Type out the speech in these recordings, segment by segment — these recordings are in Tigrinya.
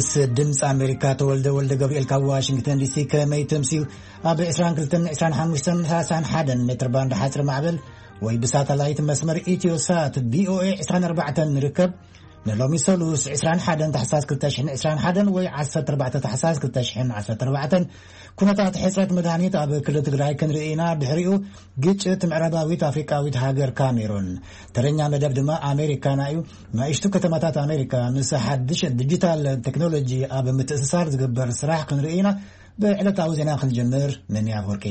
ምስ ድምፂ ኣሜሪካ ተወልደ ወልደ ገብርኤል ካብ ዋሽንግተን ዲሲ። ከመይ ተምስዩ? ኣብ ዕስራን ክልተን፣ ዕስራን ሓሙሽተን፣ ሰላሳን ሓደን ሜትር ባንድ ሓፂር ማዕበል ወይ ብሳተላይት መስመር ኢትዮ ሳት ቪኦኤ ዕስራን ኣርባዕተን ንርከብ። ንሎሚ ሰሉስ ዕስራን ሓደን ታሕሳስ ክልተ ሽሕን ዕስራን ሓደን ወይ ዓሰርተ ኣርባዕተ ታሕሳስ ክልተ ሽሕን ዓሰርተ ኣርባዕተን ኩነታት ሕፅረት መድሃኒት ኣብ ክልል ትግራይ ክንርኢ ኢና። ድሕሪኡ ግጭት ምዕራባዊት ኣፍሪቃዊት ሃገር ካሜሩን። ተረኛ መደብ ድማ ኣሜሪካና እዩ። ንኣሽቱ ከተማታት ኣሜሪካ ምስ ሓድሽ ዲጂታል ቴክኖሎጂ ኣብ ምትእስሳር ዝግበር ስራሕ ክንርኢ ኢና። ብዕለታዊ ዜና ክንጅምር፣ ምንያ ወርቂ።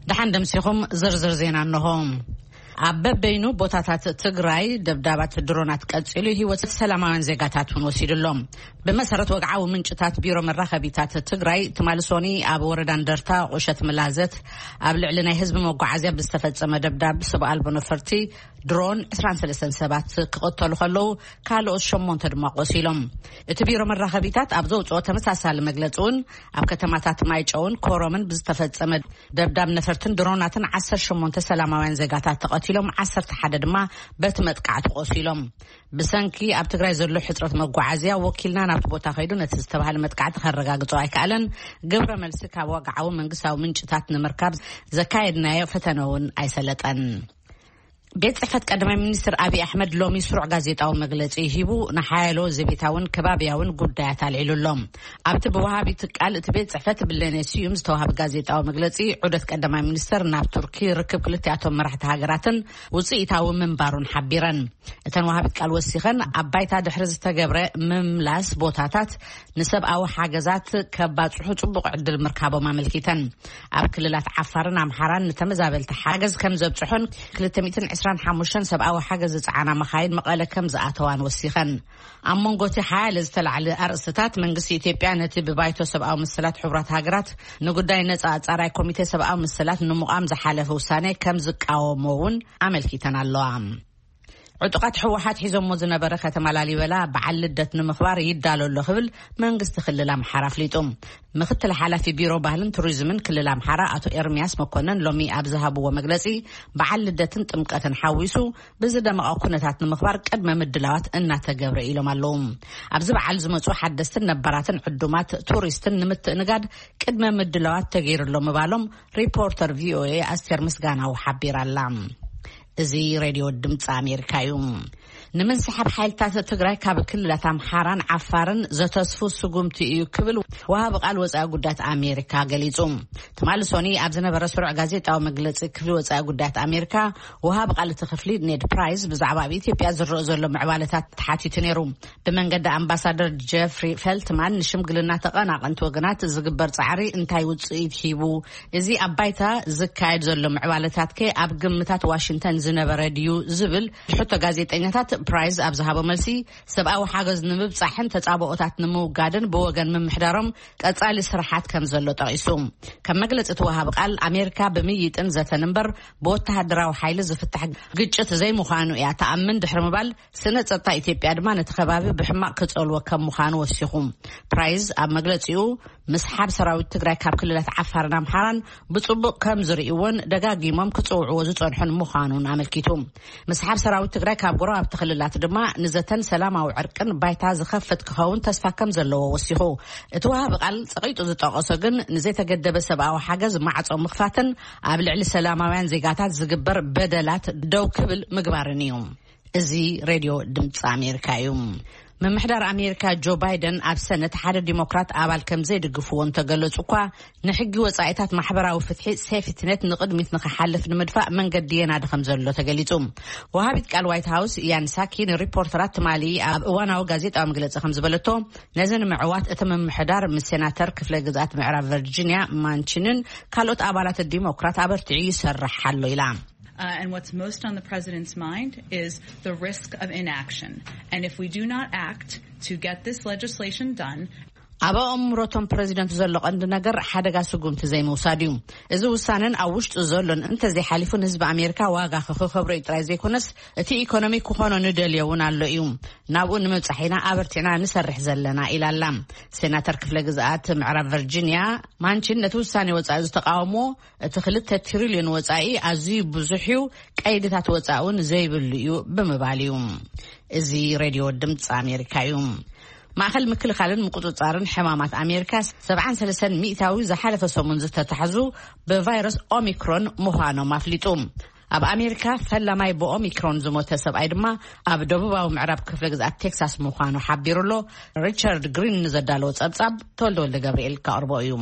ደሓን ደምሲኹም፣ ዝርዝር ዜና እንሆ። ኣብ በበይኑ ቦታታት ትግራይ ደብዳባት ድሮናት ቀጺሉ፣ ህይወት ሰላማውያን ዜጋታት እውን ወሲዱ ኣሎ። ብመሰረት ወግዓዊ ምንጭታት ቢሮ መራኸቢታት ትግራይ፣ ትማሊ ሶኒ ኣብ ወረዳ እንደርታ ቁሸት ምላዘት ኣብ ልዕሊ ናይ ህዝቢ መጓዓዝያ ብዝተፈጸመ ደብዳብ ሰብ ኣልቦ ነፈርቲ ድሮን ዕስራን ሰለስተን ሰባት ክቕተሉ ከለዉ፣ ካልኦት ሸሞንተ ድማ ቆሲሎም። እቲ ቢሮ መራኸቢታት ኣብ ዘውፅኦ ተመሳሳሊ መግለፂ እውን፣ ኣብ ከተማታት ማይጨውን ኮረምን ብዝተፈጸመ ደብዳብ ነፈርትን ድሮናትን ዓሰርተ ሸሞንተ ሰላማውያን ዜጋታት ተቐቲሎም፣ ዓሰርተ ሓደ ድማ በቲ መጥቃዕቲ ቆሲሎም። ብሰንኪ ኣብ ትግራይ ዘሎ ሕፅረት መጓዓዝያ፣ ወኪልና ናብቲ ቦታ ከይዱ ነቲ ዝተባህለ መጥቃዕቲ ከረጋግጾ ኣይከኣለን። ግብረ መልሲ ካብ ወግዓዊ መንግስታዊ ምንጭታት ንምርካብ ዘካየድናዮ ፈተነ እውን ኣይሰለጠን። ቤት ጽሕፈት ቀዳማይ ሚኒስትር ኣብይ ኣሕመድ ሎሚ ስሩዕ ጋዜጣዊ መግለጺ ሂቡ፣ ንሓያሎ ዘቤታውን ከባብያውን ጉዳያት ኣልዒሉ ኣሎ። ኣብቲ ብወሃቢ ትካል እቲ ቤት ጽሕፈት ብለኔ ስዩም ዝተዋሃበ ጋዜጣዊ መግለጺ፣ ዑደት ቀዳማይ ሚኒስትር ናብ ቱርኪ፣ ርክብ ክልቲኣቶም መራሕቲ ሃገራትን ውጽኢታዊ ምንባሩን ሓቢረን። እተን ወሃቢት ቃል ወሲኸን፣ ኣብ ባይታ ድሕሪ ዝተገብረ ምምላስ ቦታታት ንሰብኣዊ ሓገዛት ከባጽሑ ጽቡቕ ዕድል ምርካቦም ኣመልኪተን። ኣብ ክልላት ዓፋርን ኣምሓራን ንተመዛበልቲ ሓገዝ ከም ዘብጽሑን፣ ክልተ ሚእትን ዕስራን ሓሙሽተን ሰብኣዊ ሓገዝ ዝጸዓና መኻይን መቐለ ከም ዝኣተዋን ወሲኸን። ኣብ መንጎ እቲ ሓያለ ዝተላዕለ ኣርእስትታት፣ መንግስቲ ኢትዮጵያ ነቲ ብባይቶ ሰብኣዊ መሰላት ሕቡራት ሃገራት ንጉዳይ ነጻ ኣጻራይ ኮሚቴ ሰብኣዊ መሰላት ንምቋም ዝሓለፈ ውሳኔ ከም ዝቃወሞ እውን ኣመልኪተን ኣለዋ። ዕጡቓት ህወሓት ሒዞሞ ዝነበረ ከተማ ላሊበላ በዓል ልደት ንምኽባር ይዳሎ ኣሎ ክብል መንግስቲ ክልል ኣምሓራ ኣፍሊጡ። ምክትል ሓላፊ ቢሮ ባህልን ቱሪዝምን ክልል ኣምሓራ ኣቶ ኤርሚያስ መኮነን ሎሚ ኣብ ዝሃብዎ መግለጺ፣ በዓል ልደትን ጥምቀትን ሓዊሱ ብዝደመቐ ኩነታት ንምኽባር ቅድመ ምድላዋት እናተገብረ ኢሎም ኣለዉ። ኣብዚ በዓል ዝመፁ ሓደስትን ነባራትን ዕዱማት ቱሪስትን ንምትእንጋድ ቅድመ ምድላዋት ተገይሩ ኣሎ ምባሎም ሪፖርተር ቪኦኤ ኣስቴር ምስጋናው ሓቢራ ኣላ። እዚ ሬድዮ ድምፂ ኣሜሪካ እዩ። ንምንስሓብ ሓይልታት ትግራይ ካብ ክልላት ኣምሓራን ዓፋርን ዘተስፉ ስጉምቲ እዩ ክብል ወሃቢ ቃል ወፃኢ ጉዳያት ኣሜሪካ ገሊፁ። ትማሊ ሶኒ ኣብ ዝነበረ ስሩዕ ጋዜጣዊ መግለፂ ክፍሊ ወፃኢ ጉዳያት ኣሜሪካ፣ ወሃቢ ቃል እቲ ክፍሊ ኔድ ፕራይስ ብዛዕባ ኣብ ኢትዮጵያ ዝረአ ዘሎ ምዕባለታት ተሓቲቱ ነይሩ። ብመንገዲ ኣምባሳደር ጀፍሪ ፈልትማን ንሽምግልና ተቐናቐንቲ ወገናት ዝግበር ፃዕሪ እንታይ ውፅኢት ሂቡ? እዚ ኣብ ባይታ ዝካየድ ዘሎ ምዕባለታት ከ ኣብ ግምታት ዋሽንግተን ዝነበረ ድዩ? ዝብል ሕቶ ጋዜጠኛታት፣ ፕራይዝ ኣብ ዝሃቦ መልሲ፣ ሰብኣዊ ሓገዝ ንምብጻሕን ተጻብኦታት ንምውጋድን ብወገን ምምሕዳሮም ቀጻሊ ስራሓት ከም ዘሎ ጠቒሱ። ከም መግለጺ እቲ ወሃቢ ቃል፣ ኣሜሪካ ብምይጥን ዘተን እምበር ብወተሃደራዊ ሓይሊ ዝፍታሕ ግጭት ዘይምዃኑ እያ ትኣምን ድሕሪ ምባል፣ ስነ ጸጥታ ኢትዮጵያ ድማ ነቲ ከባቢ ብሕማቕ ክጸልዎ ከም ምዃኑ ወሲኹ። ፕራይዝ ኣብ መግለጺኡ፣ ምስሓብ ሰራዊት ትግራይ ካብ ክልላት ዓፋርን ኣምሓራን ብጽቡቕ ከም ዝርእይዎን ደጋጊሞም ክጽውዕዎ ዝጸንሑን ምዃኑን ኣመልኪቱ። ምስሓብ ሰራዊት ትግራይ ካብ ጎረባብቲ ክልላት ድማ ንዘተን ሰላማዊ ዕርቅን ባይታ ዝኸፍት ክኸውን ተስፋ ከም ዘለዎ ወሲኹ። እቲ ወሃቢ ቃል ጸቒጡ ዝጠቐሶ ግን ንዘይተገደበ ሰብኣዊ ሓገዝ ማዕጾ ምኽፋትን ኣብ ልዕሊ ሰላማውያን ዜጋታት ዝግበር በደላት ደው ክብል ምግባርን እዩ። እዚ ሬድዮ ድምፂ ኣሜሪካ እዩ። ምምሕዳር ኣሜሪካ ጆ ባይደን ኣብ ሰነት ሓደ ዲሞክራት ኣባል ከም ዘይድግፍዎ እንተገለጹ እኳ፣ ንሕጊ ወጻኢታት ማሕበራዊ ፍትሒ ሴፍትኔት ንቕድሚት ንኽሓልፍ ንምድፋእ መንገዲ የናዲ ከም ዘሎ ተገሊጹ። ወሃቢት ቃል ዋይት ሃውስ ያን ሳኪ ንሪፖርተራት ትማሊ ኣብ እዋናዊ ጋዜጣዊ መግለጺ ከም ዝበለቶ፣ ነዚ ንምዕዋት እቲ ምምሕዳር ምስ ሴናተር ክፍለ ግዝኣት ምዕራብ ቨርጂኒያ ማንቺንን ካልኦት ኣባላት ዲሞክራት ኣበርቲዑ ይሰርሕ ኣሎ ኢላ። Uh, and what's most on the president's mind is the risk of inaction. And if we do not act to get this legislation done, ኣብ ኣእምሮቶም ፕረዚደንት ዘሎ ቀንዲ ነገር ሓደጋ ስጉምቲ ዘይምውሳድ እዩ። እዚ ውሳነን ኣብ ውሽጡ ዘሎን እንተዘይሓሊፉ፣ ንህዝቢ ኣሜሪካ ዋጋ ክኸብሮ እዩ ጥራይ ዘይኮነስ፣ እቲ ኢኮኖሚ ክኾኖ ንደልዮ እውን ኣሎ እዩ። ናብኡ ንምብጻሕ ኢና ኣበርቲዕና ንሰርሕ ዘለና፣ ኢላ ኣላ። ሴናተር ክፍለ ግዝኣት ምዕራብ ቨርጂኒያ ማንቺን ነቲ ውሳኔ ወጻኢ ዝተቃወሞ፣ እቲ ክልተ ትሪልዮን ወጻኢ ኣዝዩ ብዙሕ እዩ፣ ቀይድታት ወጻኢ እውን ዘይብሉ እዩ ብምባል እዩ። እዚ ሬድዮ ድምፂ ኣሜሪካ እዩ። ማእኸል ምክልኻልን ምቁፅፃርን ሕማማት ኣሜሪካ፣ ሰብዓን ሰለስተን ሚእታዊ ዝሓለፈ ሰሙን ዝተታሕዙ ብቫይረስ ኦሚክሮን ምዃኖም ኣፍሊጡ። ኣብ ኣሜሪካ ፈላማይ ብኦሚክሮን ዝሞተ ሰብኣይ ድማ ኣብ ደቡባዊ ምዕራብ ክፍለ ግዝኣት ቴክሳስ ምዃኑ ሓቢሩ ኣሎ። ሪቻርድ ግሪን ንዘዳለዎ ጸብጻብ ተወልደ ወልደ ገብርኤል ከቕርቦ እዩ።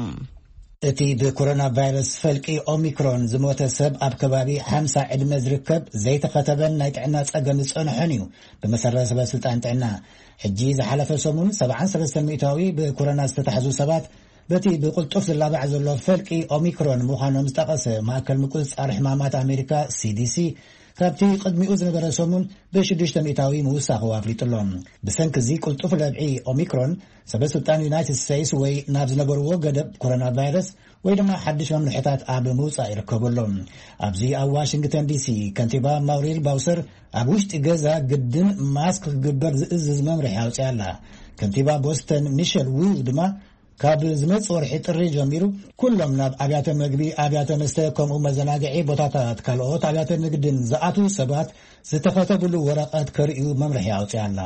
እቲ ብኮሮና ቫይረስ ፈልቂ ኦሚክሮን ዝሞተ ሰብ ኣብ ከባቢ ሓምሳ ዕድመ ዝርከብ ዘይተኸተበን ናይ ጥዕና ጸገም ዝጸንሖን እዩ። ብመሰረት ሰበ ስልጣን ጥዕና፣ ሕጂ ዝሓለፈ ሰሙን ሰብዓን ሰለስተን ሚእታዊ ብኮሮና ዝተታሕዙ ሰባት በቲ ብቕልጡፍ ዝላባዕ ዘሎ ፈልቂ ኦሚክሮን ምዃኖም ዝጠቐሰ ማእከል ምቁጽጻር ሕማማት ኣሜሪካ፣ ሲዲሲ፣ ካብቲ ቅድሚኡ ዝነበረ ሰሙን ብሽዱሽተ ሚእታዊ ምውሳኹ ኣፍሊጡ ኣሎ። ብሰንኪ እዚ ቅልጡፍ ለብዒ ኦሚክሮን፣ ሰበ ስልጣን ዩናይትድ ስቴትስ ወይ ናብ ዝነበርዎ ገደብ ኮሮና ቫይረስ ወይ ድማ ሓድሽ መምርሕታት ኣብ ምውጻእ ይርከቡ ኣሎ። ኣብዚ ኣብ ዋሽንግተን ዲሲ፣ ከንቲባ ማውሪል ባውሰር ኣብ ውሽጢ ገዛ ግድን ማስክ ክግበር ዝእዝዝ መምርሒ ኣውፅያ ኣላ። ከንቲባ ቦስተን ሚሸል ዉ ድማ፣ ካብ ዝመጽእ ወርሒ ጥሪ ጀሚሩ፣ ኩሎም ናብ ኣብያተ መግቢ፣ ኣብያተ መስተ፣ ከምኡ መዘናግዒ ቦታታት፣ ካልኦት ኣብያተ ንግድን ዝኣትዉ ሰባት ዝተኸተብሉ ወረቐት ከርእዩ መምርሒ ኣውፅያ ኣላ።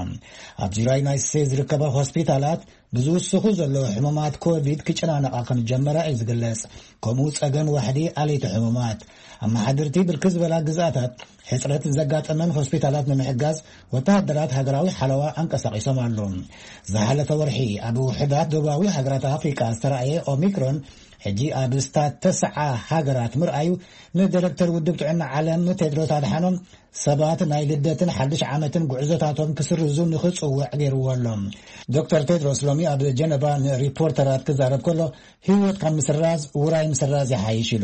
ኣብ ዙርያ ዩናይትድ ስቴትስ ዝርከባ ሆስፒታላት ብዝውስኹ ዘለዉ ሕሙማት ኮቪድ ክጨናነቓ ከም ዝጀመራ እዩ ዝግለጽ። ከምኡ ጸገም ዋሕዲ ኣለይቲ ሕሙማት። ኣመሓደርቲ ብርክት ዝበላ ግዝኣታት ሕጽረት ዘጋጠመን ሆስፒታላት ንምሕጋዝ ወተሃደራት ሃገራዊ ሓለዋ ኣንቀሳቒሶም ኣለዉ። ዝሓለፈ ወርሒ ኣብ ውሕዳት ደቡባዊ ሃገራት ኣፍሪቃ ዝተራእየ ኦሚክሮን፣ ሕጂ ኣብ ስታት ተስዓ ሃገራት ምርኣዩ፣ ንዳይረክተር ውድብ ጥዕና ዓለም ቴድሮስ ኣድሓኖም ሰባት ናይ ልደትን ሓድሽ ዓመትን ጉዕዞታቶም ክስርዙ ንኽጽውዕ ገይርዎ ኣሎ። ዶክተር ቴድሮስ ሎሚ ኣብ ጀነቫ ንሪፖርተራት ክዛረብ ከሎ፣ ህይወት ካብ ምስራዝ ውራይ ምስራዝ ይሓይሽ ኢሉ።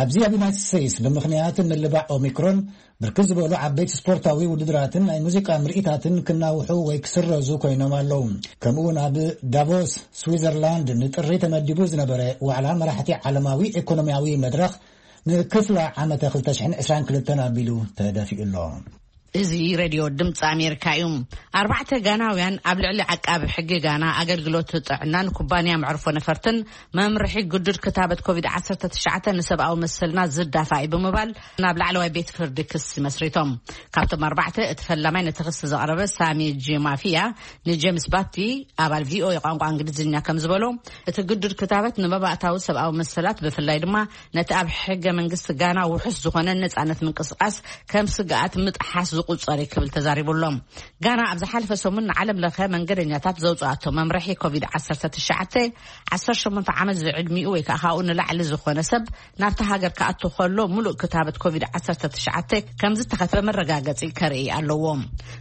ኣብዚ ኣብ ዩናይትድ ስቴትስ ብምኽንያት ምልባዕ ኦሚክሮን፣ ብርክት ዝበሉ ዓበይቲ ስፖርታዊ ውድድራትን ናይ ሙዚቃ ምርኢታትን ክናውሑ ወይ ክስረዙ ኮይኖም ኣለዉ። ከምኡውን ኣብ ዳቮስ ስዊዘርላንድ ንጥሪ ተመዲቡ ዝነበረ ዋዕላ መራሕቲ ዓለማዊ ኢኮኖሚያዊ መድረኽ ንክፍላ ዓመተ ክልተ ሽሕን ዕስራን ክልተን ኣቢሉ ተደፊኡ ኣሎ። እዚ ሬድዮ ድምፂ ኣሜሪካ እዩ። ኣርባዕተ ጋናውያን ኣብ ልዕሊ ዓቃቢ ሕጊ ጋና፣ ኣገልግሎት ጥዕናን ኩባንያ መዕርፎ ነፈርትን መምርሒ ግዱድ ክታበት ኮቪድ ዓሰርተ ትሽዓተ ንሰብኣዊ መሰልና ዝዳፋ እዩ ብምባል ናብ ላዕለዋይ ቤት ፍርዲ ክሲ መስሪቶም። ካብቶም ኣርባዕተ እቲ ፈላማይ ነቲ ክሲ ዘቕረበ ሳሚ ጂ ማፊያ ንጄምስ ባቲ፣ ኣባል ቪኦኤ ቋንቋ እንግሊዝኛ ከም ዝበሎ፣ እቲ ግዱድ ክታበት ንመባእታዊ ሰብኣዊ መሰላት፣ ብፍላይ ድማ ነቲ ኣብ ሕገ መንግስቲ ጋና ውሑስ ዝኾነ ነጻነት ምንቅስቃስ ከም ስግኣት ምጥሓስ ዝቁጸር እዩ ክብል ተዛሪቡ ኣሎ። ጋና ኣብ ዝሓለፈ ሰሙን ንዓለም ለኸ መንገደኛታት ዘውጽኣቶ መምርሒ ኮቪድ ዓሰርተ ትሽዓተ፣ ዓሰርተ ሸሞንተ ዓመት ዝዕድሚኡ ወይ ከዓ ካብኡ ንላዕሊ ዝኾነ ሰብ ናብታ ሃገር ክኣቱ ከሎ፣ ሙሉእ ክታበት ኮቪድ ዓሰርተ ትሽዓተ ከም ዝተኸትበ መረጋገጺ ከርኢ ኣለዎ።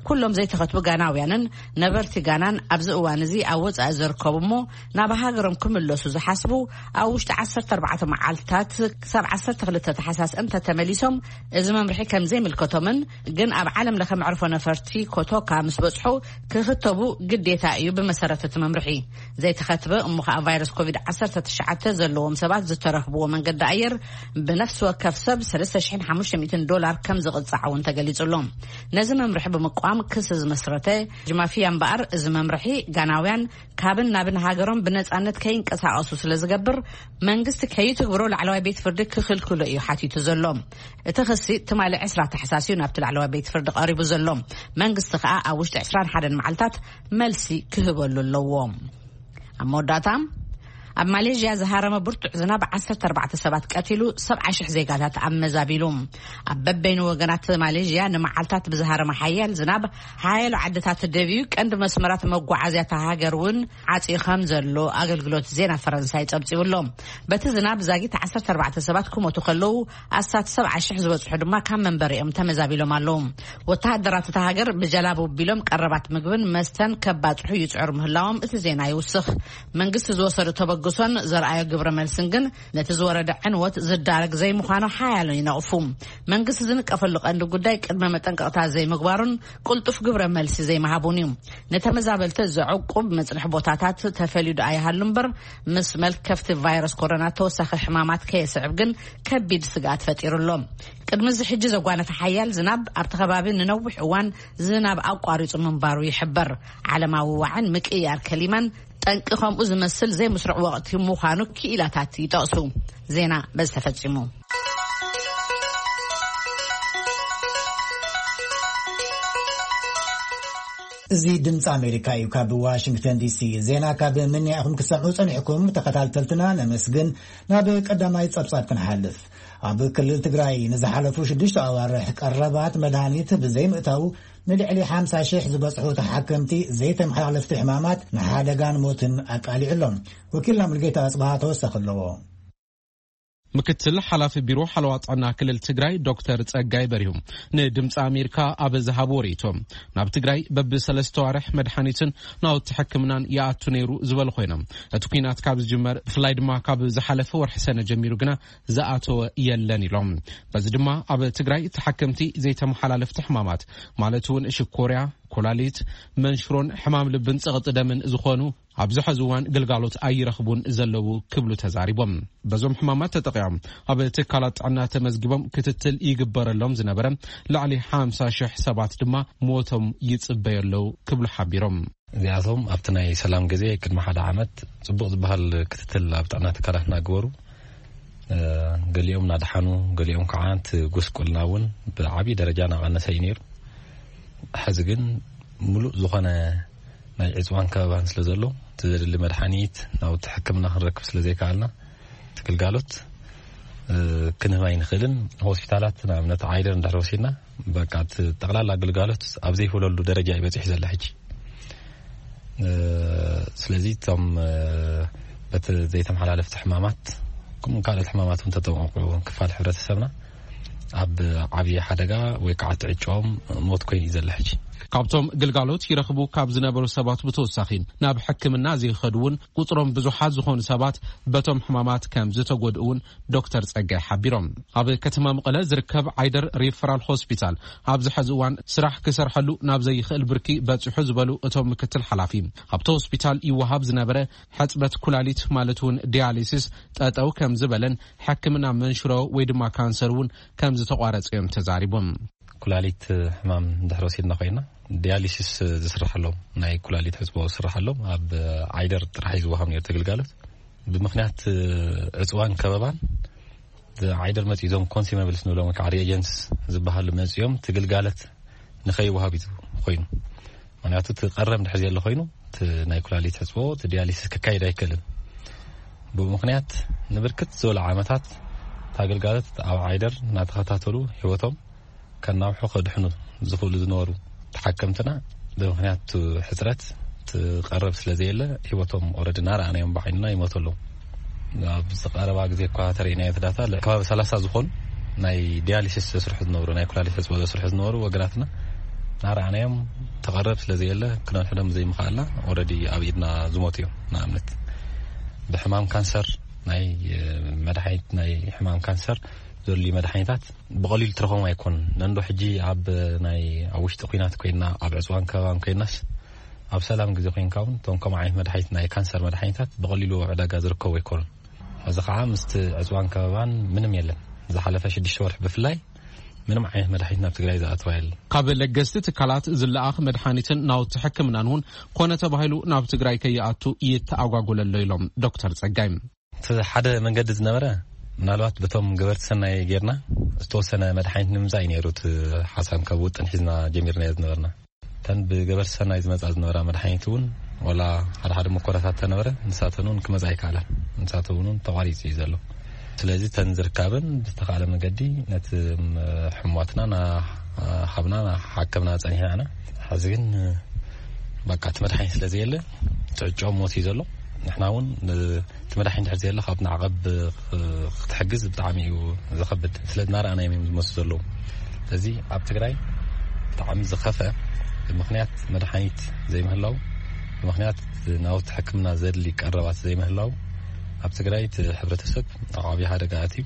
ኩሎም ዘይተኸትቡ ጋናውያንን ነበርቲ ጋናን ኣብዚ እዋን እዚ ኣብ ወጻኢ ዝርከቡ እሞ፣ ናብ ሃገሮም ክምለሱ ዝሓስቡ፣ ኣብ ውሽጢ ዓሰርተ ኣርባዕተ መዓልታት ክሳብ ዓሰርተ ክልተ ታሕሳስ እንተተመሊሶም፣ እዚ መምርሒ ከም ዘይምልከቶምን፣ ግን ኣብ ዓለም ለኸ መዕርፎ ነፈርቲ ኮቶካ ምስ በጽሑ ክኽተቡ ግዴታ እዩ። ብመሰረት እቲ መምርሒ፣ ዘይተኸትበ እሞ ኸኣ ቫይረስ ኮቪድ ዓሰርተ ትሽዓተ ዘለዎም ሰባት ዝተረኽብዎ መንገዲ ኣየር ብነፍሲ ወከፍ ሰብ ሰለስተ ሽሕን ሓሙሽተ ሚእትን ዶላር ከም ዝቕጻዕ እውን ተገሊጹ ኣሎ። ነዚ መምርሒ ብምቋም ክሲ ዝመስረተ ጅማፍያ እምበኣር፣ እዚ መምርሒ ጋናውያን ካብን ናብን ሃገሮም ብነጻነት ከይንቀሳቐሱ ስለ ዝገብር፣ መንግስቲ ከይትግብሮ ላዕለዋይ ቤት ፍርዲ ክኽልክሎ እዩ ሓቲቱ ዘሎ። እቲ ክሲ ትማሊ ዕስራ ታሕሳስ እዩ ናብቲ ላዕለዋይ ቤት ፍርዲ ቀሪቡ ዘሎ። መንግስቲ ከኣ ኣብ ውሽጢ ዕስራን ሓደን መዓልታት መልሲ ክህበሉ ኣለዎ። ኣብ መወዳእታ፣ ኣብ ማሌዥያ ዝሃረመ ብርቱዕ ዝናብ ዓሰርተ ኣርባዕተ ሰባት ቀቲሉ፣ ሰብዓ ሽሕ ዜጋታት ኣመዛቢሉ። ኣብ በበይኑ ወገናት ማሌዥያ ንመዓልታት ብዝሃረመ ሓያል ዝናብ፣ ሓያሎ ዓድታት ደብዩ፣ ቀንዲ መስመራት መጓዓዝያ እታ ሃገር እውን ዓጽዩ ከም ዘሎ ኣገልግሎት ዜና ፈረንሳይ ጸብጺቡ ኣሎ። በቲ ዝናብ ዛጊት ዓሰርተ ኣርባዕተ ሰባት ክሞቱ ከለዉ፣ ኣስታት ሰብዓ ሽሕ ዝበጽሑ ድማ ካብ መንበሪኦም ተመዛቢሎም ኣለዉ። ወተሃደራት እታ ሃገር ብጀላቡ ኣቢሎም ቀረባት ምግብን መስተን ከባጽሑ ይጽዕሩ ምህላዎም እቲ ዜና ይውስኽ። መንግስቲ ዝወሰዶ ተበግሶ ሶን ዘርኣዮ ግብረ መልስን ግን ነቲ ዝወረደ ዕንወት ዝዳረግ ዘይምዃኑ ሓያሎ ይነቕፉ። መንግስቲ ዝንቀፈሉ ቀንዲ ጉዳይ ቅድመ መጠንቀቕታ ዘይምግባሩን ቅልጡፍ ግብረ መልሲ ዘይምሃቡን እዩ። ንተመዛበልቲ ዘዕቁብ መጽንሒ ቦታታት ተፈልዩ ደኣ ይሃሉ እምበር፣ ምስ መልከፍቲ ቫይረስ ኮሮና ተወሳኺ ሕማማት ከየስዕብ ግን ከቢድ ስግኣት ፈጢሩ ኣሎ። ቅድሚ እዚ ሕጂ ዘጓነፈ ሓያል ዝናብ ኣብቲ ከባቢ ንነዊሕ እዋን ዝናብ ኣቋሪጹ ምንባሩ ይሕበር። ዓለማዊ ዋዕን ምቅያር ከሊማን ጠንቂ ከምኡ ዝመስል ዘይምስሩዕ ወቕቲ ምዃኑ ክኢላታት ይጠቕሱ። ዜና በዚ ተፈጺሙ። እዚ ድምፂ ኣሜሪካ እዩ። ካብ ዋሽንግተን ዲሲ ዜና ካብ ምንያ ኢኹም ክሰምዑ ጸኒሕኩም ተኸታተልትና ነመስግን። ናብ ቀዳማይ ጸብጻብ ክንሓልፍ። ኣብ ክልል ትግራይ ንዝሓለፉ ሽዱሽተ ኣዋርሕ ቀረባት መድሃኒት ብዘይምእታው ንልዕሊ ሓምሳ ሽሕ ዝበጽሑ ተሓከምቲ ዘይተመሓላለፍቲ ሕማማት ንሓደጋን ሞትን ኣቃሊዑ ኣሎ። ወኪልና ሙልጌታ ኣጽብሃ ተወሳኺ ኣለዎ። ምክትል ሓላፊ ቢሮ ሓለዋ ጥዕና ክልል ትግራይ ዶክተር ጸጋይ በሪሁ ንድምፂ ኣሜሪካ ኣብ ዝሃብዎ ርእይቶ፣ ናብ ትግራይ በብሰለስተ ዋርሕ መድሓኒትን ናውቲ ሕክምናን ይኣቱ ነይሩ ዝበሉ ኮይኖም፣ እቲ ኲናት ካብ ዝጅመር ብፍላይ ድማ ካብ ዝሓለፈ ወርሒ ሰነ ጀሚሩ ግና ዝኣተወ የለን ኢሎም። በዚ ድማ ኣብ ትግራይ ተሓከምቲ ዘይተመሓላለፍቲ ሕማማት ማለት እውን ሽኮርያ፣ ኮላሊት፣ መንሽሮን ሕማም ልብን ጸቕጢ ደምን ዝኾኑ ኣብዚ ሕዚ እዋን ግልጋሎት ኣይረኽቡን ዘለዉ ክብሉ ተዛሪቦም። በዞም ሕማማት ተጠቂዖም ኣብ ትካላት ጥዕና ተመዝጊቦም ክትትል ይግበረሎም ዝነበረ ልዕሊ ሓምሳ ሽሕ ሰባት ድማ ሞቶም ይጽበዩ ኣለዉ ክብሉ ሓቢሮም። እዚኣቶም ኣብቲ ናይ ሰላም ግዜ ቅድሚ ሓደ ዓመት ጽቡቕ ዝበሃል ክትትል ኣብ ጥዕና ትካላት እናገበሩ፣ እ፣ ገሊኦም እናደሓኑ፣ ገሊኦም ከዓ እቲ ጉስቁልና እውን ብዓብዪ ደረጃ እናቐነሰ እዩ ነይሩ። ሕዚ ግን ሙሉእ ዝኾነ ናይ ዕፅዋን ከበባን ስለ ዘሎ፣ እቲ ዘድሊ መድሓኒት፣ ናውቲ ሕክምና ክንረክብ ስለ ዘይከኣልና፣ እቲ ግልጋሎት፣ እ፣ ክንህብ ኣይንኽእልን። ሆስፒታላት፣ ንኣብነት ዓይደር እንድሕር ወሲድና፣ በቃ እቲ ጠቕላላ ግልጋሎት ኣብ ዘይህለሉ ደረጃ እዩ በፂሑ ዘሎ ሕጂ። እ፣ ስለዚ እቶም፣ እ፣ በቲ ዘይተመሓላለፍቲ ሕማማት፣ ከምኡ ካልኦት ሕማማት እውን ተጠንቀቑ ክፋል ሕብረተሰብና ኣብ ዓብዪ ሓደጋ ወይ ከዓ ትዕጮም ሞት ኮይኑ እዩ ዘሎ ሕጂ። ካብቶም ግልጋሎት ይረኽቡ ካብ ዝነበሩ ሰባት ብተወሳኺ ናብ ሕክምና ዘይኸዱ እውን ቁፅሮም ብዙሓት ዝኾኑ ሰባት በቶም ሕማማት ከም ዝተጎድኡ እውን ዶክተር ጸጋይ ሓቢሮም። ኣብ ከተማ መቐለ ዝርከብ ዓይደር ሪፈራል ሆስፒታል ኣብዚ ሕዚ እዋን ስራሕ ክሰርሐሉ ናብ ዘይኽእል ብርኪ በፂሑ ዝበሉ እቶም ምክትል ሓላፊ፣ ኣብቲ ሆስፒታል ይወሃብ ዝነበረ ሕፅበት ኩላሊት ማለት እውን ዲያሊሲስ ጠጠው ከም ዝበለን ሕክምና መንሽሮ ወይ ድማ ካንሰር እውን ከም ዝተቋረፀ እዮም ተዛሪቦም። ኩላሊት ሕማም እንድሕር ወሲድና ኮይና፣ ዲያሊሲስ ዝስርሐሎም፣ ናይ ኩላሊት ሕፅቦ ዝስርሐሎም ኣብ ዓይደር ጥራሕ እዩ ዝወሃብ ነይሩ እቲ ግልጋሎት። ብምኽንያት ዕፅዋን ከበባን፣ ዓይደር መፂኡ እዞም ኮንሲመብልስ ንብሎም ወይ ከዓ ሪኤጀንትስ ዝበሃሉ መፂኦም እቲ ግልጋሎት ንኸይወሃብ እዩ ኮይኑ። ምኽንያቱ እቲ ቀረብ እንድሕር ዘየለ ኮይኑ፣ እቲ ናይ ኩላሊት ሕፅቦ፣ እቲ ዲያሊሲስ ክካየድ ኣይክእልን። ብኡ ምኽንያት ንብርክት ዝበሉ ዓመታት እቲ ኣገልጋሎት ኣብ ዓይደር እናተኸታተሉ ህይወቶም ከናውሑ ከድሕኑ ዝኽእሉ ዝነበሩ ተሓከምትና፣ ብምኽንያት እቲ ሕፅረት እቲ ቀረብ ስለ ዘየለ፣ ህይወቶም ኦረዲ እናረኣናዮም ብዓይንና ይሞቱ ኣለዉ። ኣብ ዝቐረባ ግዜ እኳ ተርእናዮ እቲ ዳታ፣ ከባቢ ሰላሳ ዝኾኑ ናይ ዲያሊሲስ ዘስርሑ ዝነበሩ፣ ናይ ኩላሊት ሕፅቦ ዘስርሑ ዝነበሩ ወገናትና እናረኣናዮም፣ ተቐረብ ስለ ዘየለ ክነድሕኖም ዘይምኽኣልና፣ ኦረዲ ኣብ ኢድና ዝሞቱ እዮም። ንኣብነት ብሕማም ካንሰር፣ ናይ መድሓኒት፣ ናይ ሕማም ካንሰር ዘድልዩ መድሓኒታት ብቐሊሉ ትረኽቦም ኣይኮኑን። ነንዶ ሕጂ ኣብ ናይ፣ ኣብ ውሽጢ ኲናት ኮይና፣ ኣብ ዕፅዋን ከባባን ኮይናስ፣ ኣብ ሰላም ግዜ ኮይንካ እውን እቶም ከምኡ ዓይነት መድሓኒት፣ ናይ ካንሰር መድሓኒታት ብቐሊሉ ኣብ ዕዳጋ ዝርከቡ ኣይኮኑን። ሕዚ ከዓ ምስቲ ዕፅዋን ከባባን ምንም የለን። ዝሓለፈ ሽዱሽተ ወርሒ ብፍላይ ምንም ዓይነት መድሓኒት ናብ ትግራይ ዝኣተወ የለን። ካብ ለገስቲ ትካላት ዝለኣኽ መድሓኒትን ናውቲ ሕክምናን እውን ኮነ ተባሂሉ ናብ ትግራይ ከይኣቱ ይተኣጓጎለ ኣሎ ኢሎም ዶክተር ጸጋይ። እቲ ሓደ መንገዲ ዝነበረ፣ ምናልባት በቶም ገበርቲ ሰናይ ጌርና ዝተወሰነ መድሓኒት ንምምፃእ እዩ ነይሩ። እቲ ሓሳብ ካብ ውጥን ሒዝና ጀሚርናዮ ዝነበርና። እተን ብገበርቲ ሰናይ ዝመፃ ዝነበራ መድሓኒት እውን፣ ዋላ ሓደ ሓደ መኮረታት ተነበረ፣ ንሳተን እውን ክመፃ ኣይከኣላን። ንሳተን እውን ተቋሪፁ እዩ ዘሎ። ስለዚ እተን ዝርካብን ብዝተኻለ መገዲ ነቲ፣ ም፣ ሕሙማትና እናሃብና እናሓከምና ፀኒሕና ኢና። ሕዚ ግን በቃ እቲ መድሓኒት ስለ ዘየለ፣ ትዕጮ ሞት እዩ ዘሎ። ንሕና እውን ን-፣ እቲ መድሓኒት ድሕር ዘየለ ካብ ማዕቐብ ክ-፣ ክትሕግዝ ብጣዕሚ እዩ ዘኸብድ። ስለ እናረኣናዮም እዮም ዝሞቱ ዘለዉ። ስለዚ ኣብ ትግራይ ብጣዕሚ ዝኸፍአ፣ ብምኽንያት መድሓኒት ዘይምህላው፣ ብምኽንያት ናውቲ ሕክምና ዘድሊ ቀረባት ዘይምህላው፣ ኣብ ትግራይ እቲ ሕብረተሰብ ኣብ ዓብዪ ሓደጋ ኣትዩ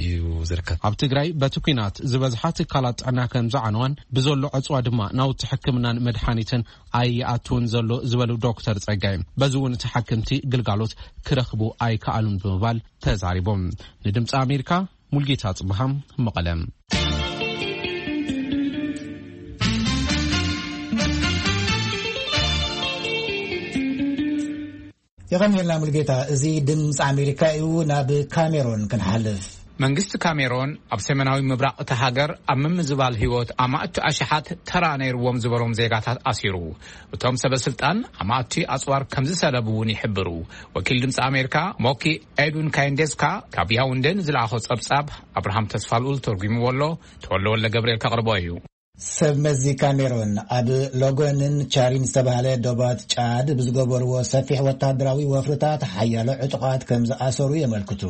እዩ ዝርከብ። ኣብ ትግራይ በቲ ኲናት ዝበዝሓ ትካላት ጥዕና ከም ዝዓነዋን ብዘሎ ዕፅዋ ድማ ናውቲ ሕክምናን መድሓኒትን ኣይኣትውን ዘሎ ዝበሉ ዶክተር ፀጋይ፣ በዚ እውን ተሓክምቲ ግልጋሎት ክረኽቡ ኣይከኣሉን ብምባል ተዛሪቦም። ንድምፂ ኣሜሪካ ሙልጌታ ጽብሃም፣ መቐለ። የቐንየልና ሙልጌታ። እዚ ድምፂ ኣሜሪካ እዩ። ናብ ካሜሮን ክንሓልፍ። መንግስቲ ካሜሮን ኣብ ሰሜናዊ ምብራቕ እታ ሃገር ኣብ ምምዝባል ህይወት ኣማእቲ ኣሽሓት ተራ ነይርዎም ዝበሎም ዜጋታት ኣሲሩ። እቶም ሰበ ስልጣን ኣማእቲ ኣጽዋር ከም ዝሰለቡ እውን ይሕብሩ። ወኪል ድምፂ ኣሜሪካ ሞኪ ኤድዊን ካይንዴስካ ካብ ያውንዴ ንዝለኣኾ ጸብጻብ ኣብርሃም ተስፋልኡል ተርጒምዎ ኣሎ። ተወልደ ወልደ ገብርኤል ከቕርቦ እዩ። ሰብ መዚ ካሜሮን ኣብ ሎጎንን ቻሪን ዝተባህለ ዶባት ጫድ ብዝገበርዎ ሰፊሕ ወታደራዊ ወፍርታት ሓያሎ ዕጡቓት ከም ዝኣሰሩ የመልክቱ።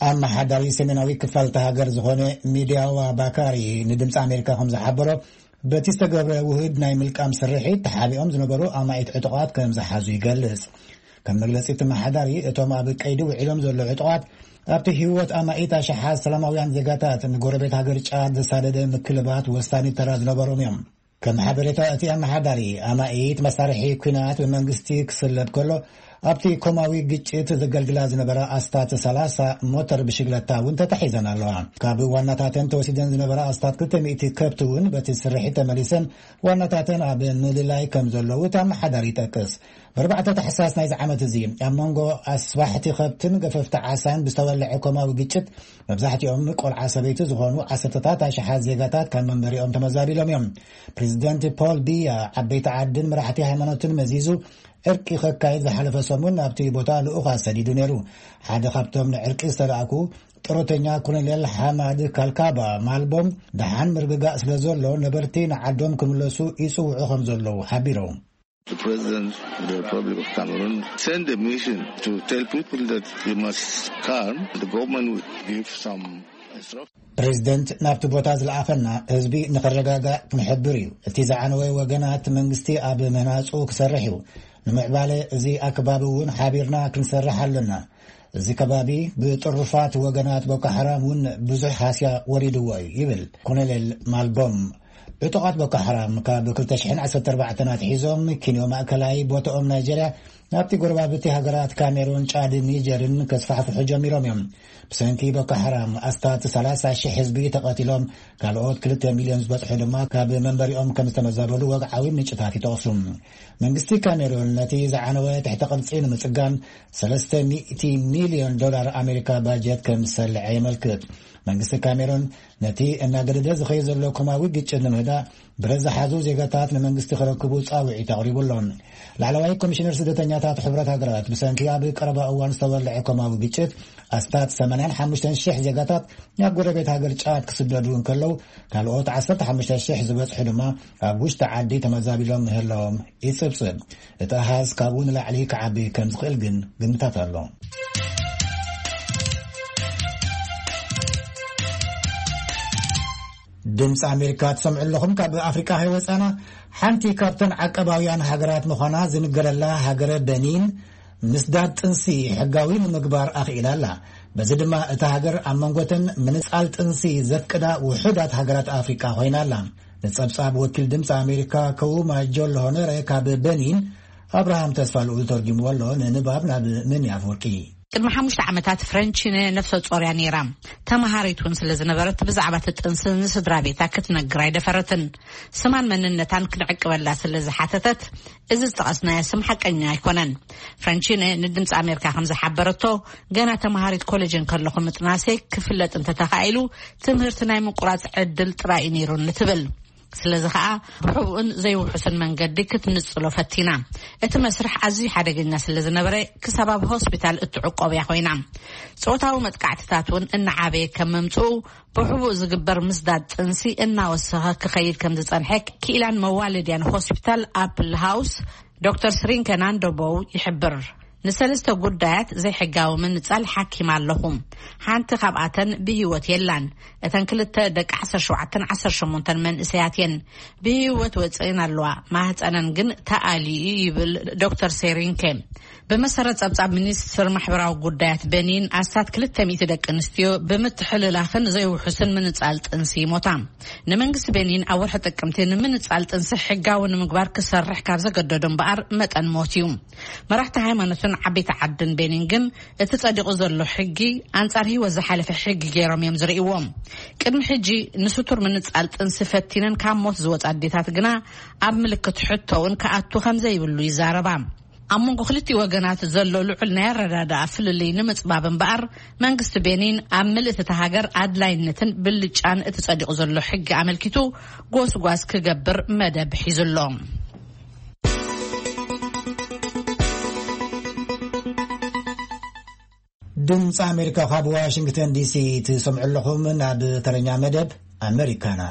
ኣመሓዳሪ ሰሜናዊ ክፋል እታ ሃገር ዝኾነ ሚድያዋ ባካሪ ንድምፂ ኣሜሪካ ከም ዝሓበሮ፣ በቲ ዝተገብረ ውህድ ናይ ምልቃም ስርሒት ተሓቢኦም ዝነበሩ ኣማኢት ዕጡቓት ከም ዝሓዙ ይገልጽ። ከም መግለጺ እቲ ኣመሓዳሪ፣ እቶም ኣብ ቀይዲ ውዒሎም ዘለዉ ዕጡቓት ኣብቲ ህይወት ኣማኢት ኣሽሓት ሰላማውያን ዜጋታት ንጎረቤት ሃገር ጫድ ዘሳደደ ምክልባት ወሳኒ ተራ ዝነበሮም እዮም። ከም ሓበሬታ እቲ ኣመሓዳሪ፣ ኣማኢት መሳርሒ ኲናት ብመንግስቲ ክስለብ ከሎ፣ ኣብቲ ኮማዊ ግጭት ዘገልግላ ዝነበራ ኣስታት ሰላሳ ሞተር ብሽግለታ እውን ተታሒዘን ኣለዋ። ካብ ዋናታተን ተወሲደን ዝነበራ ኣስታት ክልተ ሚእቲ ከብቲ እውን በቲ ስርሒት ተመሊሰን ዋናታተን ኣብ ምልላይ ከም ዘለዉ እቲ ኣመሓዳሪ ይጠቅስ። ብ4 ታሕሳስ ናይዚ ዓመት እዚ ኣብ መንጎ ኣስባሕቲ ከብትን ገፈፍቲ ዓሳን ብዝተወልዐ ኮማዊ ግጭት መብዛሕትኦም ቆልዓ ሰበይቲ ዝኾኑ ዓሰርተታት ኣሽሓት ዜጋታት ካብ መንበሪኦም ተመዛቢሎም እዮም። ፕሬዚደንት ፖል ቢያ ዓበይቲ ዓድን መራሕቲ ሃይማኖትን መዚዙ ዕርቂ ከካይድ ዝሓለፈ ሰሙን ናብቲ ቦታ ልኡኻት ሰዲዱ ነይሩ። ሓደ ካብቶም ንዕርቂ ዝተላእኩ ጡረተኛ ኮሎኔል ሓማድ ካልካባ ማልቦም፣ ደሓን ምርግጋእ ስለ ዘሎ ነበርቲ ንዓዶም ክምለሱ ይጽውዑ ከም ዘለዉ ሓቢሮም። The president of the Republic of Cameroon sent a mission to tell people that they must calm. The government will give some instruction. ፕሬዚደንት ናብቲ ቦታ ዝለኣኸና ህዝቢ ንኽረጋጋእ ክንሕብር እዩ። እቲ ዝዓነወ ወገናት መንግስቲ ኣብ ምህናጹ ክሰርሕ እዩ። ንምዕባለ እዚ ኣክባቢ እውን ሓቢርና ክንሰርሕ ኣለና። እዚ ከባቢ ብጥሩፋት ወገናት ቦኮ ሓራም እውን ብዙሕ ሃስያ ወሪድዎ እዩ ይብል ኮሎኔል ማልቦም። ዕጡቓት ቦኮ ሓራም ካብ ክልተ ሽሕን ዓሰርተ ኣርባዕተን ኣትሒዞም ኪንዮ ማእከላይ ቦታኦም ናይጀርያ ናብቲ ጎረባብቲ ሃገራት ካሜሩን፣ ጫድን ኒጀርን ከስፋሕፍሑ ጀሚሮም እዮም። ብሰንኪ ቦኮ ሓራም ኣስታት ሰላሳ ሽሕ ህዝቢ ተቐቲሎም፣ ካልኦት ክልተ ሚልዮን ዝበጽሑ ድማ ካብ መንበሪኦም ከም ዝተመዛበሉ ወግዓዊ ምንጭታት ይጠቕሱ። መንግስቲ ካሜሩን ነቲ ዝዓነወ ትሕተ ቅርጺ ንምጽጋን ሰለስተ ሚእቲ ሚልዮን ዶላር ኣሜሪካ ባጀት ከም ዝሰልዐ የመልክት። መንግስቲ ካሜሩን ነቲ እናገደደ ዝኸይድ ዘሎ ኮማዊ ግጭት ንምህዳእ ብረት ዝሓዙ ዜጋታት ንመንግስቲ ክረክቡ ጻውዒት ኣቕሪቡ ኣሎ። ላዕለዋይ ኮሚሽነር ስደተኛታት ሕብረት ሃገራት ብሰንኪ ኣብ ቀረባ እዋን ዝተወልዐ ኮማዊ ግጭት ኣስታት ሰማንያን ሓሙሽተን ሽሕ ዜጋታት ናብ ጎረቤት ሃገር ጫድ ክስደዱ እንከለዉ፣ ካልኦት ዓሰርተ ሓሙሽተ ሽሕ ዝበጽሑ ድማ ኣብ ውሽጢ ዓዲ ተመዛቢሎም ምህላዎም ይጽብጽብ። እቲ ኣሃዝ ካብኡ ንላዕሊ ክዓቢ ከም ዝኽእል ግን ግምታት ኣሎ። ድምፂ ኣሜሪካ ትሰምዑ ኣለኹም። ካብ ኣፍሪቃ ከይወፃና፣ ሓንቲ ካብተን ዓቀባውያን ሃገራት ምዃና ዝንገረላ ሃገረ በኒን፣ ምስዳድ ጥንሲ ሕጋዊ ንምግባር ኣኽኢላ ኣላ። በዚ ድማ እታ ሃገር ኣብ መንጎተን ምንጻል ጥንሲ ዘፍቅዳ ውሑዳት ሃገራት ኣፍሪቃ ኮይና ኣላ። ንጸብጻብ ወኪል ድምፂ ኣሜሪካ ከውማ ጆሎ ሆነረ ካብ በኒን ኣብርሃም ተስፋ ልኡል ተርጊምዎ ኣሎ። ንንባብ ናብ መኒ ኣፍወርቂ። ቅድሚ ሓሙሽተ ዓመታት ፍረንቺነ ነፍሰ ጾር እያ ነይራ። ተመሃሪት እውን ስለ ዝነበረት ብዛዕባ እቲ ጥንሲ ንስድራ ቤታ ክትነግር ኣይደፈረትን። ስማን መንነታን ክንዕቅበላ ስለ ዝሓተተት፣ እዚ ዝጠቐስናዮ ስም ሓቀኛ ኣይኮነን። ፍረንቺነ ንድምፂ ኣሜሪካ ከም ዝሓበረቶ፣ ገና ተመሃሪት ኮሌጅ እንከለኹ ምጥናሰይ ክፍለጥ እንተተኻኢሉ፣ ትምህርቲ ናይ ምቁራፅ ዕድል ጥራይ እዩ ነይሩኒ ትብል። ስለዚ ኸኣ ብሕቡእን ዘይውሑስን መንገዲ ክትንጽሎ ፈቲና። እቲ መስርሕ ኣዝዩ ሓደገኛ ስለ ዝነበረ፣ ክሳብ ኣብ ሆስፒታል እትዕቆብ እያ ኮይና። ጾታዊ መጥቃዕትታት እውን እናዓበየ ከም ምምጽኡ፣ ብሕቡእ ዝግበር ምስዳድ ጥንሲ እናወሰኸ ክኸይድ ከም ዝጸንሐ ክኢላን መዋለድያን ሆስፒታል ኣፕል ሃውስ ዶክተር ስሪንከ ናንዶቦው ይሕብር። ንሰለስተ ጉዳያት ዘይሕጋዊ ምንጻል ሓኪም ኣለኹ። ሓንቲ ካብኣተን ብህይወት የላን። እተን ክልተ ደቂ ዓሰርተ ሸውዓተን ዓሰርተ ሸሞንተን መንእሰያት እየን። ብህይወት ወጽእን ኣለዋ። ማህፀነን ግን ተኣልዩ ይብል ዶክተር ሴሪንኬ። ብመሰረት ጸብጻብ ሚኒስትር ማሕበራዊ ጉዳያት በኒን፣ ኣስታት ክልተ ሚእቲ ደቂ ኣንስትዮ ብምትሕልላኽን ዘይውሑስን ምንጻል ጥንሲ ይሞታ። ንመንግስቲ በኒን ኣብ ወርሒ ጥቅምቲ ንምንጻል ጥንሲ ሕጋዊ ንምግባር ክሰርሕ ካብ ዘገደዶ እምበኣር መጠን ሞት እዩ። መራሕቲ ሃይማኖትን ዓበይቲ ዓድን ቤኒን ግን እቲ ጸዲቑ ዘሎ ሕጊ ኣንጻር ህይወት ዝሓለፈ ሕጊ ገይሮም እዮም ዝርእይዎ። ቅድሚ ሕጂ ንስቱር ምንጻል ጥንሲ ፈቲነን ካብ ሞት ዝወጻ ኣዴታት ግና ኣብ ምልክት ሕቶ እውን ክኣቱ ከም ዘይብሉ ይዛረባ። ኣብ መንጎ ክልቲኡ ወገናት ዘሎ ልዑል ናይ ኣረዳድኣ ፍልልይ ንምጽባብ እምበኣር፣ መንግስቲ ቤኒን ኣብ ምልእቲ እታ ሃገር ኣድላይነትን ብልጫን እቲ ጸዲቑ ዘሎ ሕጊ ኣመልኪቱ ጎስጓስ ክገብር መደብ ሒዙ ኣሎ። ድምፂ ኣሜሪካ ካብ ዋሽንግተን ዲሲ ትሰምዑ ኣለኹም። ናብ ተረኛ መደብ ኣመሪካና።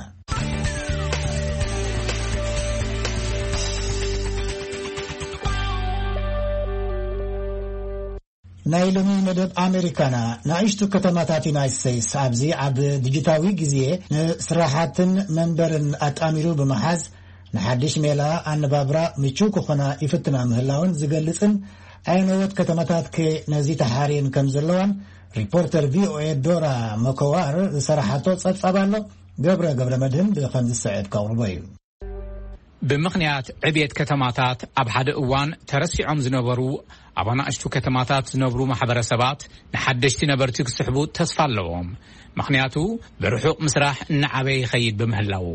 ናይ ሎሚ መደብ ኣሜሪካና። ንኣሽቱ ከተማታት ዩናይት ስቴትስ ኣብዚ ኣብ ዲጂታዊ ግዜ ንስራሓትን መንበርን ኣጣሚሩ ብምሓዝ፣ ንሓድሽ ሜላ ኣነባብራ ምቹው ክኾና ይፍትና ምህላውን ዝገልጽን ኣየነዎት ከተማታት ከ ነዚ ተሓርየን ከም ዘለዋን ሪፖርተር ቪ ኦ ኤ ዶራ መኮዋር ዝሰራሓቶ ጸብጻብ ኣሎ። ገብረ ገብረ መድህን ብኸም ዝስዕብ ከቕርቦ እዩ። ብምኽንያት ዕብየት ከተማታት፣ ኣብ ሓደ እዋን ተረሲዖም ዝነበሩ ኣብ ኣናእሽቱ ከተማታት ዝነብሩ ማሕበረሰባት ንሓደሽቲ ነበርቲ ክስሕቡ ተስፋ ኣለዎም። ምኽንያቱ፣ ብርሑቕ ምስራሕ እናዓበየ ይኸይድ ብምህላዉ፣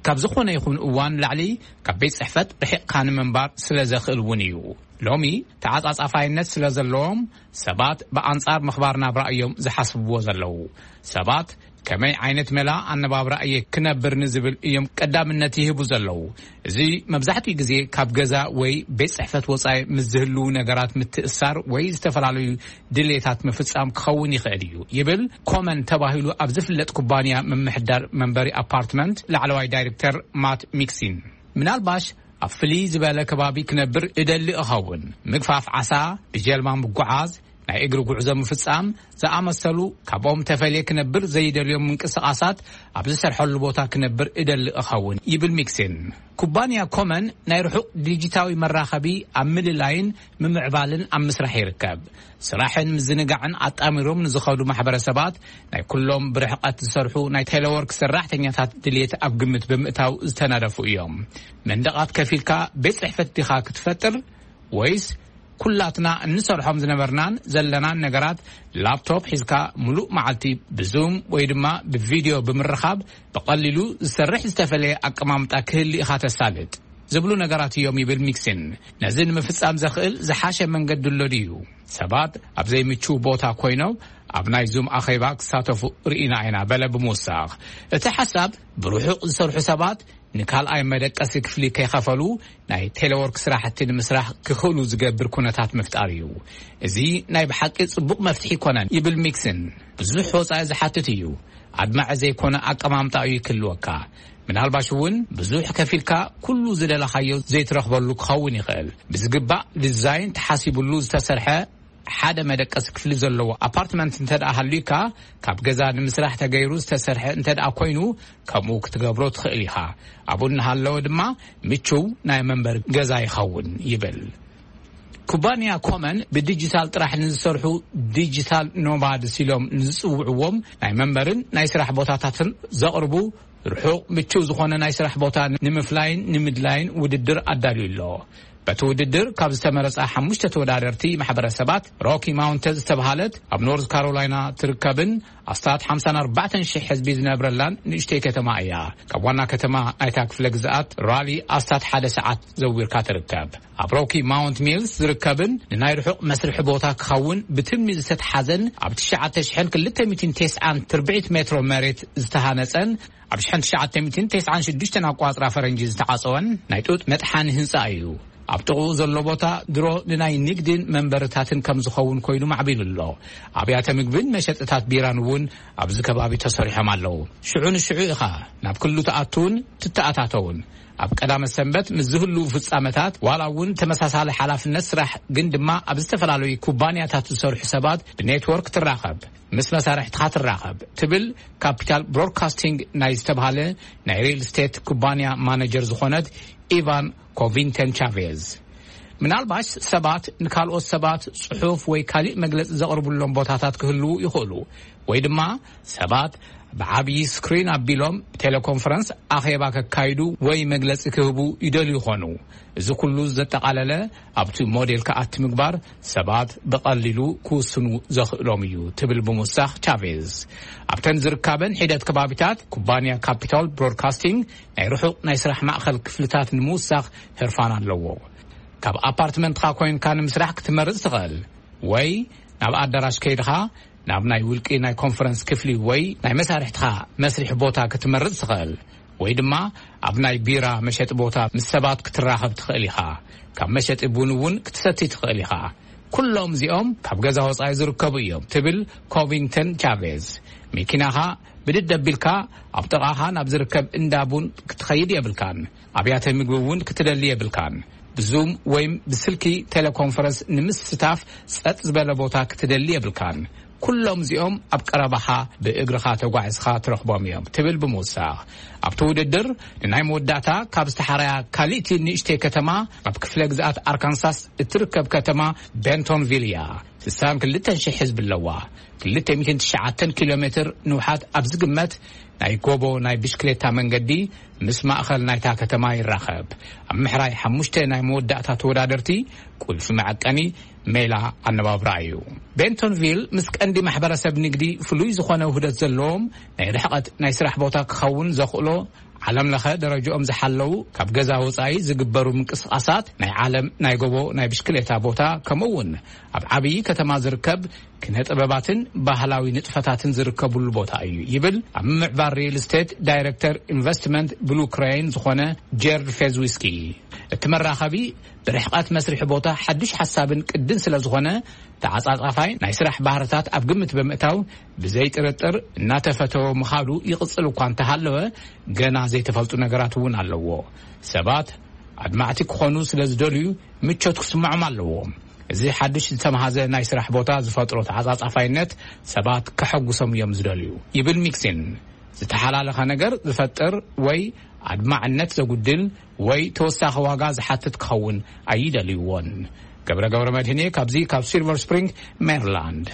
ካብ ዝኾነ ይኹን እዋን ላዕሊ ካብ ቤት ጽሕፈት ርሒቕካ ንምንባር ስለ ዘኽእል እውን እዩ። ሎሚ ተዓጻጻፋይነት ስለ ዘለዎም፣ ሰባት ብኣንጻር ምኽባር ናብራ እዮም ዝሓስብዎ ዘለዉ። ሰባት ከመይ ዓይነት መላ ኣነባብራ እየ ክነብር ንዝብል እዮም ቀዳምነት ይህቡ ዘለዉ። እዚ መብዛሕትኡ ግዜ ካብ ገዛ ወይ ቤት ጽሕፈት ወጻኢ ምስ ዝህልዉ ነገራት ምትእሳር ወይ ዝተፈላለዩ ድሌታት ምፍጻም ክኸውን ይኽእል እዩ፣ ይብል ኮመን ተባሂሉ ኣብ ዝፍለጥ ኩባንያ ምምሕዳር መንበሪ ኣፓርትመንት ላዕለዋይ ዳይሬክተር ማት ሚክሲን። ምናልባሽ ኣብ ፍልይ ዝበለ ከባቢ ክነብር እደሊ እኸውን። ምግፋፍ ዓሳ፣ ብጀልባ ምጉዓዝ፣ ናይ እግሪ ጉዕዞ ምፍጻም ዝኣመሰሉ ካብኦም ተፈልየ ክነብር ዘይደልዮም ምንቅስቓሳት ኣብ ዝሰርሐሉ ቦታ ክነብር እደሊ እኸውን፣ ይብል ሚክሲን። ኩባንያ ኮመን ናይ ርሑቕ ዲጂታዊ መራኸቢ ኣብ ምልላይን ምምዕባልን ኣብ ምስራሕ ይርከብ። ስራሕን ምዝንጋዕን ኣጣሚሮም ንዝኸዱ ማሕበረሰባት ናይ ኩሎም ብርሕቐት ዝሰርሑ ናይ ቴሌወርክ ሰራሕተኛታት ድልየት ኣብ ግምት ብምእታው ዝተነደፉ እዮም። መንደቓት ከፊልካ ቤት ጽሕፈት ዲኻ ክትፈጥር፣ ወይስ ኩላትና እንሰርሖም ዝነበርናን ዘለናን ነገራት ላፕቶፕ ሒዝካ ምሉእ መዓልቲ ብዙም ወይ ድማ ብቪድዮ ብምርኻብ ብቐሊሉ ዝሰርሕ ዝተፈለየ ኣቀማምጣ ክህሊ ኢኻ ተሳልጥ? ዝብሉ ነገራት እዮም፣ ይብል ሚክሲን። ነዚ ንምፍጻም ዘኽእል ዝሓሸ መንገዲ ኣሎ ድዩ? ሰባት ኣብ ዘይምቹው ቦታ ኮይኖም ኣብ ናይ ዙም ኣኼባ ክሳተፉ ርኢና ኢና፣ በለ ብምውሳኽ። እቲ ሓሳብ ብርሑቕ ዝሰርሑ ሰባት ንካልኣይ መደቀሲ ክፍሊ ከይኸፈሉ ናይ ቴሌወርክ ስራሕቲ ንምስራሕ ክኽእሉ ዝገብር ኩነታት ምፍጣር እዩ። እዚ ናይ ብሓቂ ጽቡቕ መፍትሒ ኣይኮነን፣ ይብል ሚክሲን። ብዙሕ ወጻኢ ዝሓትት እዩ። ኣድማዒ ዘይኮነ ኣቀማምጣ እዩ ክህልወካ። ምናልባሽ እውን ብዙሕ ከፊልካ ኩሉ ዝደለኻዮ ዘይትረኽበሉ ክኸውን ይኽእል። ብዝግባእ ዲዛይን ተሓሲቡሉ ዝተሰርሐ ሓደ መደቀሲ ክፍሊ ዘለዎ ኣፓርትመንት እንተ ደኣ ሃልዩካ፣ ካብ ገዛ ንምስራሕ ተገይሩ ዝተሰርሐ እንተ ደኣ ኮይኑ፣ ከምኡ ክትገብሮ ትኽእል ኢኻ። ኣብኡ እናሃለወ ድማ ምቹው ናይ መንበሪ ገዛ ይኸውን፣ ይብል። ኩባንያ ኮመን ብዲጂታል ጥራሕ ንዝሰርሑ ዲጂታል ኖማድስ ኢሎም ንዝጽውዕዎም ናይ መንበርን ናይ ስራሕ ቦታታትን ዘቕርቡ፣ ርሑቕ ምቹው ዝኾነ ናይ ስራሕ ቦታ ንምፍላይን ንምድላይን ውድድር ኣዳልዩ ኣሎ። በቲ ውድድር ካብ ዝተመረጻ ሓሙሽተ ተወዳደርቲ ማሕበረሰባት፣ ሮኪ ማውንተን ዝተባሃለት ኣብ ኖርዝ ካሮላይና ትርከብን ኣስታት ሓምሳን ኣርባዕተን ሽሕ ህዝቢ ዝነብረላን ንእሽተይ ከተማ እያ። ካብ ዋና ከተማ ናይታ ክፍለ ግዝኣት ራሊ ኣስታት ሓደ ሰዓት ዘዊርካ ትርከብ። ኣብ ሮኪ ማውንት ሚልስ ዝርከብን ንናይ ርሑቕ መስርሒ ቦታ ክኸውን ብትልሚ ዝተትሓዘን ኣብ ትሽዓተ ሽሕን ክልተ ሚእትን ተስዓን ትርብዒት ሜትሮ መሬት ዝተሃነጸን ኣብ ሽሕን ትሽዓተ ሚእትን ተስዓን ሽዱሽተን ኣቋጽራ ፈረንጂ ዝተዓጸወን ናይ ጡጥ መጥሓኒ ህንጻ እዩ። ኣብ ጥቕኡ ዘሎ ቦታ ድሮ ንናይ ንግድን መንበርታትን ከም ዝኸውን ኮይኑ ማዕቢሉ ኣሎ። ኣብያተ ምግብን መሸጥታት ቢራን እውን ኣብዚ ከባቢ ተሰሪሖም ኣለዉ። ሽዑ ንሽዑ ኢኻ ናብ ክሉ ትኣትውን ትተኣታተውን። ኣብ ቀዳመ ሰንበት ምስ ዝህልዉ ፍጻመታት፣ ዋላ እውን ተመሳሳሊ ሓላፍነት ስራሕ ግን ድማ ኣብ ዝተፈላለዩ ኩባንያታት ዝሰርሑ ሰባት ብኔትወርክ ትራኸብ፣ ምስ መሳርሕትኻ ትራኸብ ትብል ካፒታል ብሮድካስቲንግ ናይ ዝተብሃለ ናይ ሪል ስቴት ኩባንያ ማነጀር ዝኾነት ኢቫን ኮቪንተን ቻቬዝ። ምናልባሽ ሰባት ንካልኦት ሰባት ጽሑፍ ወይ ካሊእ መግለጺ ዘቕርቡሎም ቦታታት ክህልዉ ይኽእሉ፣ ወይ ድማ ሰባት ብዓብዪ ስክሪን ኣቢሎም ብቴሌኮንፈረንስ ኣኼባ ከካይዱ ወይ መግለጺ ክህቡ ይደልዩ ይኾኑ። እዚ ኩሉ ዘጠቓለለ ኣብቲ ሞዴል ክኣቲ ምግባር ሰባት ብቐሊሉ ክውስኑ ዘኽእሎም እዩ ትብል ብምውሳኽ ቻቬዝ፣ ኣብተን ዝርካበን ሒደት ከባቢታት ኩባንያ ካፒታል ብሮድካስቲንግ ናይ ርሑቕ ናይ ስራሕ ማእኸል ክፍልታት ንምውሳኽ ህርፋን ኣለዎ። ካብ ኣፓርትመንትኻ ኮይንካ ንምስራሕ ክትመርጽ ትኽእል፣ ወይ ናብ ኣዳራሽ ከይድኻ ናብ ናይ ውልቂ ናይ ኮንፈረንስ ክፍሊ ወይ ናይ መሳርሕትኻ መስሪሕ ቦታ ክትመርጽ ትኽእል፣ ወይ ድማ ኣብ ናይ ቢራ መሸጢ ቦታ ምስ ሰባት ክትራኸብ ትኽእል ኢኻ። ካብ መሸጢ ቡን እውን ክትሰቲ ትኽእል ኢኻ። ኩሎም እዚኦም ካብ ገዛ ወጻኢ ዝርከቡ እዮም ትብል ኮቪንግተን ቻቬዝ። መኪናኻ ብድድ ኣቢልካ ኣብ ጥቓኻ ናብ ዝርከብ እንዳ ቡን ክትኸይድ የብልካን። ኣብያተ ምግቢ እውን ክትደሊ የብልካን። ብዙም ወይም ብስልኪ ቴሌኮንፈረንስ ንምስታፍ ጸጥ ዝበለ ቦታ ክትደሊ የብልካን። ኩሎም እዚኦም ኣብ ቀረባኻ ብእግርኻ ተጓዒዝኻ ትረኽቦም እዮም ትብል ብምውሳኽ፣ ኣብቲ ውድድር ንናይ መወዳእታ ካብ ዝተሓረያ ካልእቲ ንእሽተይ ከተማ ኣብ ክፍለ ግዝኣት ኣርካንሳስ እትርከብ ከተማ ቤንቶንቪል እያ። ስሳን ክልተን ሽሕ ህዝቢ ኣለዋ። ክልተ ሚእትን ትሽዓተን ኪሎ ሜትር ንውሓት ኣብ ዝግመት ናይ ጎቦ ናይ ብሽክሌታ መንገዲ ምስ ማእኸል ናይታ ከተማ ይራኸብ። ኣብ ምሕራይ ሓሙሽተ ናይ መወዳእታ ተወዳደርቲ ቁልፊ መዐቀኒ ሜላ ኣነባብራ እዩ። ቤንቶንቪል ምስ ቀንዲ ማሕበረሰብ ንግዲ ፍሉይ ዝኾነ ውህደት ዘለዎም ናይ ርሕቐት ናይ ስራሕ ቦታ ክኸውን ዘኽእሎ ዓለም ለኸ ደረጃኦም ዝሓለዉ ካብ ገዛ ወጻኢ ዝግበሩ ምንቅስቓሳት፣ ናይ ዓለም ናይ ጎቦ ናይ ብሽክሌታ ቦታ፣ ከምኡ እውን ኣብ ዓብዪ ከተማ ዝርከብ ኪነ ጥበባትን ባህላዊ ንጥፈታትን ዝርከብሉ ቦታ እዩ ይብል ኣብ ምምዕባል ሪል ስቴት ዳይሬክተር ኢንቨስትመንት ብሉ ክሬን ዝኾነ ጀርድ ፌዝዊስኪ። እቲ መራኸቢ ብርሕቐት መስርሒ ቦታ ሓዱሽ ሓሳብን ቅድን ስለ ዝኾነ፣ ተዓጻጻፋይ ናይ ስራሕ ባህርታት ኣብ ግምት ብምእታው ብዘይ ጥርጥር እናተፈተወ ምኻዱ ይቕጽል እኳ እንተሃለወ፣ ገና ዘይተፈልጡ ነገራት እውን ኣለዎ። ሰባት ኣድማዕቲ ክኾኑ ስለ ዝደልዩ ምቾት ክስምዖም ኣለዎ። እዚ ሓድሽ ዝተምሃዘ ናይ ስራሕ ቦታ ዝፈጥሮ ተዓጻጻፋይነት ሰባት ከሐጉሶም እዮም ዝደልዩ ይብል ሚክሲን። ዝተሓላለኸ ነገር ዝፈጥር ወይ ኣድማዕነት ዘጉድል ወይ ተወሳኺ ዋጋ ዝሓትት ክኸውን ኣይደልይዎን። ገብረ ገብረ መድህኔ ካብዚ ካብ ሲልቨር ስፕሪንግ ሜሪላንድ።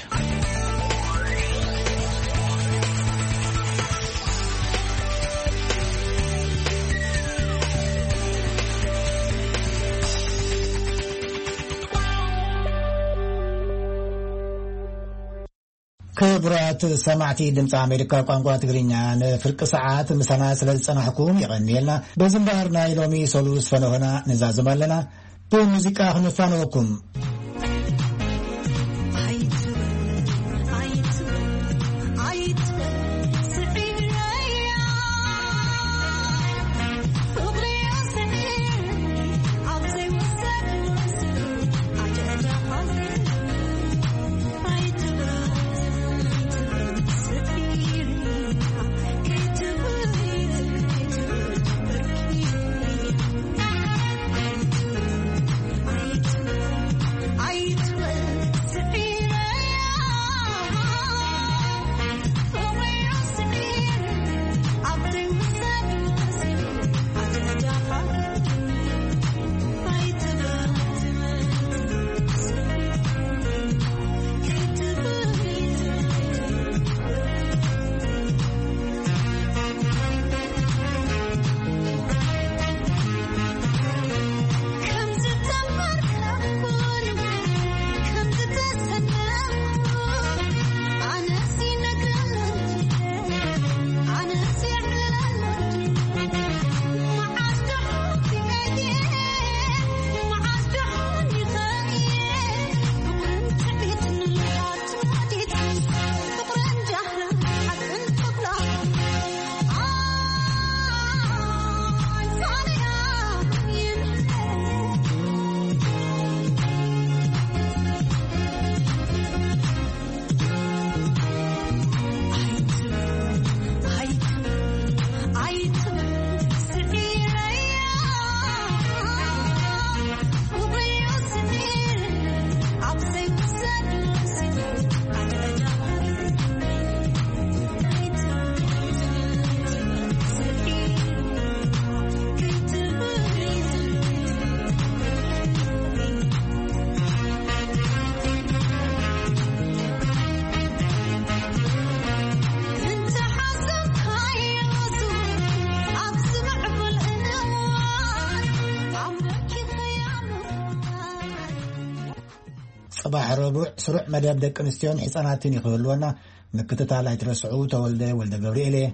ክቡራት ሰማዕቲ ድምፂ ኣሜሪካ ቋንቋ ትግርኛ፣ ንፍርቂ ሰዓት ምሳና ስለ ዝፀናሕኩም የቐንየልና። በዚ እምበኣር ናይ ሎሚ ሰሉስ ፈነሆና ንዛዝም ኣለና። ብሙዚቃ ክንፋነወኩም። ጽባሕ ረቡዕ ስሩዕ መደብ ደቂ ኣንስትዮን ሕጻናትን ይኽህልወና። ምክትታል ኣይትረስዑ። ተወልደ ወልደ ገብርኤል እየ።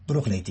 ብሩኽ ለይቲ።